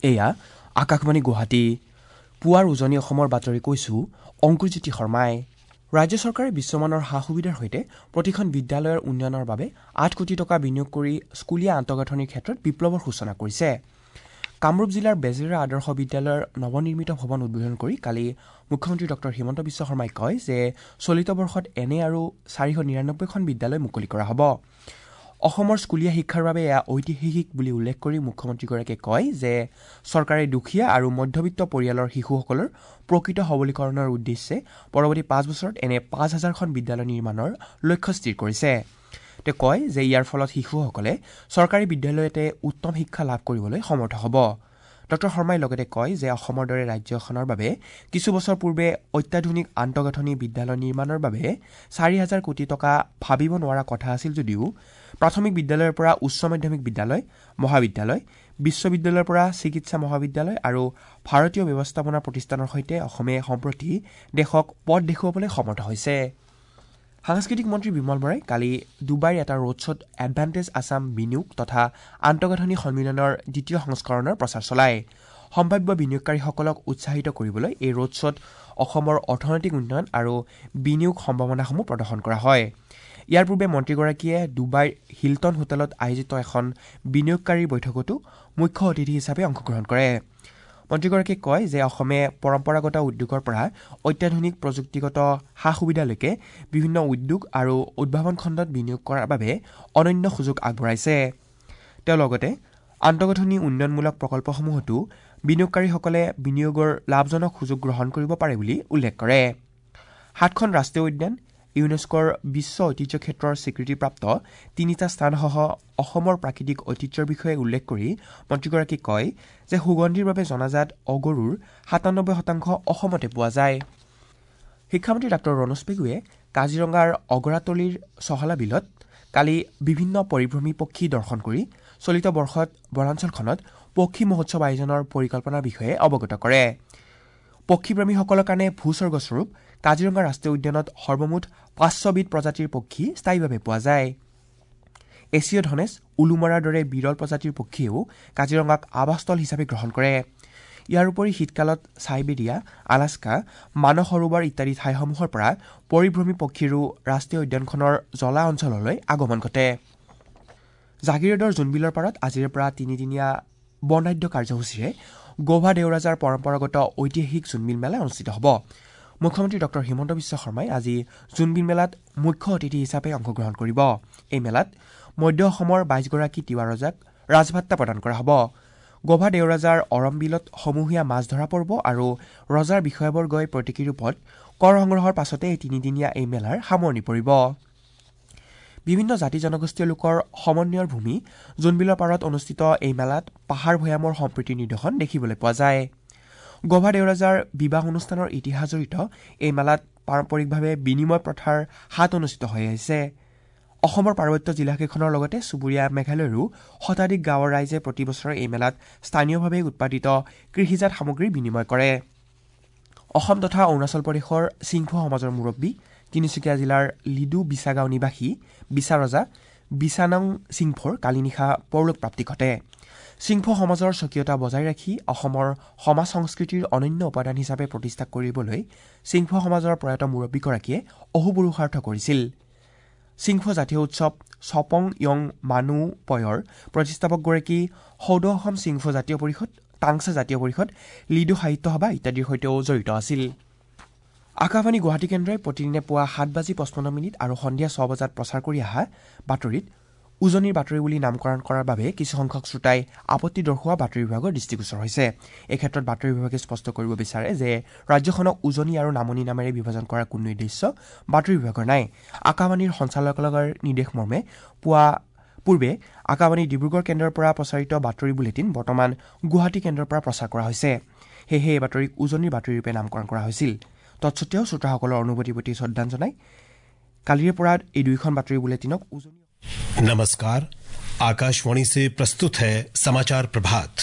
এয়া আকাশবাণী গুৱাহাটী। পুৱাৰ উজনি অসমৰ বাতৰি কৈছো অংকুৰজ্যোতি শৰ্মাই। ৰাজ্য চৰকাৰে বিশ্বমানৰ সা সুবিধাৰ সৈতে প্ৰতিখন বিদ্যালয়ৰ উন্নয়নৰ বাবে ৮ কোটি টকা বিনিয়োগ কৰি স্কুলীয়া আন্তঃগাঁথনিৰ ক্ষেত্ৰত বিপ্লৱৰ সূচনা কৰিছে। কামৰূপ জিলাৰ বেজেৰা আদৰ্শ বিদ্যালয়ৰ নৱনিৰ্মিত ভৱন উদ্বোধন কৰি কালি মুখ্যমন্ত্ৰী ডঃ হিমন্ত বিশ্ব শৰ্মাই কয় যে চলিত বৰ্ষত এনে আৰু ৪৯৯খন বিদ্যালয় মুকলি কৰা হ'ব। অসমৰ স্কুলীয়া শিক্ষাৰ বাবে এয়া ঐতিহাসিক বুলি উল্লেখ কৰি মুখ্যমন্ত্ৰীগৰাকীয়ে কয় যে চৰকাৰে দুখীয়া আৰু মধ্যবিত্ত পৰিয়ালৰ শিশুসকলৰ প্ৰকৃত সবলীকৰণৰ উদ্দেশ্যে পৰৱৰ্তী ৫ বছৰত এনে ৫,০০০খন বিদ্যালয় নিৰ্মাণৰ লক্ষ্য স্থিৰ কৰিছে। তেওঁ কয় যে ইয়াৰ ফলত শিশুসকলে চৰকাৰী বিদ্যালয়তে উত্তম শিক্ষা লাভ কৰিবলৈ সমৰ্থ হ'ব। ডঃ শৰ্মাই লগতে কয় যে অসমৰ দৰে ৰাজ্যখনৰ বাবে কিছু বছৰ পূৰ্বে অত্যাধুনিক আন্তঃগাঁথনি বিদ্যালয় নিৰ্মাণৰ বাবে ৪,০০০ কোটি টকা ভাবিব নোৱাৰা কথা আছিল যদিও প্ৰাথমিক বিদ্যালয়ৰ পৰা উচ্চ মাধ্যমিক বিদ্যালয়, মহাবিদ্যালয়, বিশ্ববিদ্যালয়ৰ পৰা চিকিৎসা মহাবিদ্যালয় আৰু ভাৰতীয় ব্যৱস্থাপনা প্ৰতিষ্ঠানৰ সৈতে অসমে সম্প্ৰতি দেশক পথ দেখুৱাবলৈ সমৰ্থ হৈছে। সাংস্কৃতিক মন্ত্ৰী বিমল বৰাই কালি ডুবাইৰ এটা ৰোড শ্ব'ত এডভান্টেজ আছাম বিনিয়োগ তথা আন্তঃগাঁথনি সন্মিলনৰ দ্বিতীয় সংস্কৰণৰ প্ৰচাৰ চলায়। সম্ভাৱ্য বিনিয়োগকাৰীসকলক উৎসাহিত কৰিবলৈ এই ৰোড শ্ব'ত অসমৰ অৰ্থনৈতিক উন্নয়ন আৰু বিনিয়োগ সম্ভাৱনাসমূহ প্ৰদৰ্শন কৰা হয়। ইয়াৰ পূৰ্বে মন্ত্ৰীগৰাকীয়ে ডুবাইৰ হিলটন হোটেলত আয়োজিত এখন বিনিয়োগকাৰীৰ বৈঠকতো মুখ্য অতিথি হিচাপে অংশগ্ৰহণ কৰে। মন্ত্ৰীগৰাকীয়ে কয় যে অসমে পৰম্পৰাগত উদ্যোগৰ পৰা অত্যাধুনিক প্ৰযুক্তিগত সা সুবিধালৈকে বিভিন্ন উদ্যোগ আৰু উদ্ভাৱন খণ্ডত বিনিয়োগ কৰাৰ বাবে অনন্য সুযোগ আগবঢ়াইছে। তেওঁ লগতে আন্তঃগাঁথনি উন্নয়নমূলক প্ৰকল্পসমূহতো বিনিয়োগকাৰীসকলে বিনিয়োগৰ লাভজনক সুযোগ গ্ৰহণ কৰিব পাৰে বুলি উল্লেখ কৰে। ৭খন ৰাষ্ট্ৰীয় উদ্যান, ইউনেস্কোৰ বিশ্ব ঐতিহ্য ক্ষেত্ৰৰ স্বীকৃতিপ্ৰাপ্ত ৩টা স্থানসহ অসমৰ প্ৰাকৃতিক ঐতিহ্যৰ বিষয়ে উল্লেখ কৰি মন্ত্ৰীগৰাকীয়ে কয় যে সুগন্ধিৰ বাবে জনাজাত অগৰুৰ ৯৭% অসমতে পোৱা যায়। শিক্ষামন্ত্ৰী ডাঃ ৰণোজ পেগুৱে কাজিৰঙাৰ অগৰাতলিৰ চহলা বিলত কালি বিভিন্ন পৰিভ্ৰমী পক্ষী দৰ্শন কৰি চলিত বৰ্ষত বনাঞ্চলখনত পক্ষী মহোৎসৱ আয়োজনৰ পৰিকল্পনাৰ বিষয়ে অৱগত কৰে। পক্ষীপ্ৰেমীসকলৰ কাৰণে ভূস্বৰ্গস্বৰূপ কাজিৰঙা ৰাষ্ট্ৰীয় উদ্যানত সৰ্বমুঠ ৫০০বিধ প্ৰজাতিৰ পক্ষী স্থায়ীভাৱে পোৱা যায়। এছীয় ধনেশ, উলুমৰাৰ দৰে বিৰল প্ৰজাতিৰ পক্ষীয়েও কাজিৰঙাক আৱাসস্থল হিচাপে গ্ৰহণ কৰে। ইয়াৰ উপৰি শীতকালত চাইবেৰিয়া, আলাস্কা, মানস সৰোবৰ ইত্যাদি ঠাইসমূহৰ পৰা পৰিভ্ৰমী পক্ষীৰো ৰাষ্ট্ৰীয় উদ্যানখনৰ জলা অঞ্চললৈ আগমন ঘটে। জাগিৰোডৰ জোনবিলৰ পাৰত আজিৰে পৰা তিনিদিনীয়া বৰ্ণাঢ্য কাৰ্যসূচীৰে গোভা দেওৰাজাৰ পৰম্পৰাগত ঐতিহাসিক জোনবিল মেলা অনুষ্ঠিত হ'ব। মুখ্যমন্ত্ৰী ডঃ হিমন্ত বিশ্ব শৰ্মাই আজি জোনবিল মেলাত মুখ্য অতিথি হিচাপে অংশগ্ৰহণ কৰিব। এই মেলাত মধ্য অসমৰ ২২গৰাকী তিৱা ৰজাক ৰাজভাট্টা প্ৰদান কৰা হ'ব। গোভা দেওৰাজাৰ অৰমবিলত সমূহীয়া মাছ ধৰা পৰ্ব আৰু ৰজাৰ বিষয়াবৰ্গই প্ৰতীকী ৰূপত কৰ সংগ্ৰহৰ পাছতে এই তিনিদিনীয়া এই মেলাৰ সামৰণি পৰিব। বিভিন্ন জাতি জনগোষ্ঠীয় লোকৰ সমন্বয়ৰ ভূমি জোনবিলৰ পাৰত অনুষ্ঠিত এই মেলাত পাহাৰ ভৈয়ামৰ সম্প্ৰীতিৰ নিদৰ্শন দেখিবলৈ পোৱা যায়। গোভা দেওৰাজাৰ বিবাহ অনুষ্ঠানৰ ইতিহাস জড়িত এই মেলাত পাৰম্পৰিকভাৱে বিনিময় প্ৰথাৰ হাত অনুষ্ঠিত হৈ আহিছে। অসমৰ পাৰ্বত্য জিলাকেইখনৰ লগতে চুবুৰীয়া মেঘালয়ৰো শতাধিক গাঁৱৰ ৰাইজে প্ৰতি বছৰে এই মেলাত স্থানীয়ভাৱে উৎপাদিত কৃষিজাত সামগ্ৰী বিনিময় কৰে। অসম তথা অৰুণাচল প্ৰদেশৰ চিংফৌ সমাজৰ মুৰব্বী তিনিচুকীয়া জিলাৰ লিডু বিচাগাঁও নিবাসী বিচাৰজা বিচানং চিংফৌৰ কালি নিশা পৰলোক প্ৰাপ্তি ঘটে। চিংফৌ সমাজৰ স্বকীয়তা বজাই ৰাখি অসমৰ সমাজ সংস্কৃতিৰ অনন্য উপাদান হিচাপে প্ৰতিষ্ঠা কৰিবলৈ চিংফৌ সমাজৰ প্ৰয়াত মুৰব্বীগৰাকীয়ে অহোপুৰুষাৰ্থ কৰিছিল। চিংফৌ জাতীয় উৎসৱ চপং য়ং মানু পয়ৰ প্ৰতিষ্ঠাপকগৰাকী সদৌ অসম চিংফৌ জাতীয় পৰিষদ, টাংচা জাতীয় পৰিষদ, লিডু সাহিত্য সভা ইত্যাদিৰ সৈতেও জড়িত আছিল। আকাশবাণী গুৱাহাটী কেন্দ্ৰই প্ৰতিদিনে পুৱা ৭:৫৫ আৰু সন্ধিয়া ৬ বজাত প্ৰচাৰ কৰি অহা বাতৰিত উজনিৰ বাতৰি বুলি নামকৰণ কৰাৰ বাবে কিছুসংখ্যক শ্ৰোতাই আপত্তি দৰ্শোৱা বাতৰি বিভাগৰ দৃষ্টিগোচৰ হৈছে। এই ক্ষেত্ৰত বাতৰি বিভাগে স্পষ্ট কৰিব বিচাৰে যে ৰাজ্যখনক উজনি আৰু নামনি নামেৰে বিভাজন কৰাৰ কোনো উদ্দেশ্য বাতৰি বিভাগৰ নাই। আকাশবাণীৰ সঞ্চালকালয়ৰ নিৰ্দেশমৰ্মে পুৱা পূৰ্বে আকাশবাণী ডিব্ৰুগড় কেন্দ্ৰৰ পৰা প্ৰচাৰিত বাতৰি বুলেটিন বৰ্তমান গুৱাহাটী কেন্দ্ৰৰ পৰা প্ৰচাৰ কৰা হৈছে। সেয়েহে এই বাতৰিক উজনিৰ বাতৰি ৰূপে নামকৰণ কৰা হৈছিল। তৎসত্বেও শ্ৰোতাসকলৰ অনুভূতিৰ প্ৰতি শ্ৰদ্ধা জনাই কালিৰে পৰা এই দুয়োখন বাতৰি বুলেটিনক উজনি। नमस्कार, आकाशवाणी से प्रस्तुत है समाचार प्रभात।